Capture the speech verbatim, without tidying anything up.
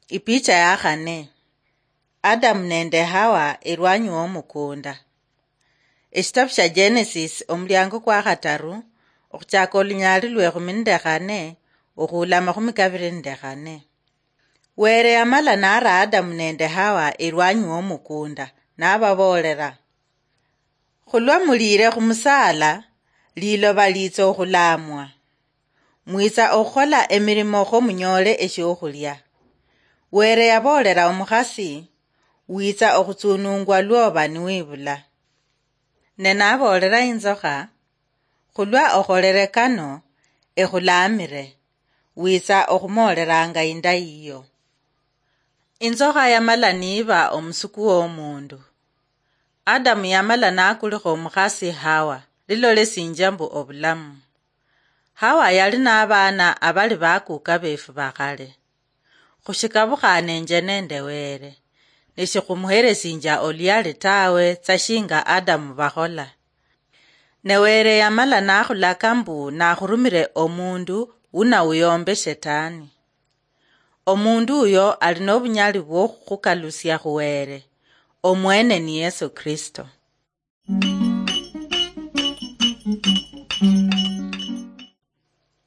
Ipicha ya khane. Adamu nende Hawa elwanyi womukunda. Eshitabu shia Genesis, omuliango kwa khataru, okhuchaka olunyali lwa ekhumi nende khane, okhuula amakhumi kabiri nende khane. Were yamala nara Adamu nende Hawa elwanyi womukunda, nababoolera, "Khulwa muliire khumusaala, liloba liitsa okhulamwa. Mwitsa okhukhola emirimo kho munyoole eshiokhulia." Were yaboolera omukhasi, "Witsa okhutsunungwa lwoba niwibula." Ne naboolera inzokha, "Khulwa okholere kano, ekhulaamire, witsa okhumooleranga inda yiyo." Inzokha yamala niiba omusuku womundu. Adamu yamala nakulikha omukhasi Hawa, lilolesinjia mbu obulamu. Hawa yali nabaana abali bakuuka beefu bakhale. Khushikabukhanenje nende Were, neshikhumuheresinjia oluyali tawe tsa shinga Adamu bakhola. Ne Were yamala nakhulaka mbu nakhurumire omundu wunawuyombe Shetani. Omundu uyo ali nobunyali bwokhukhukalusia khu Were, omwene ni Yesu Kristo.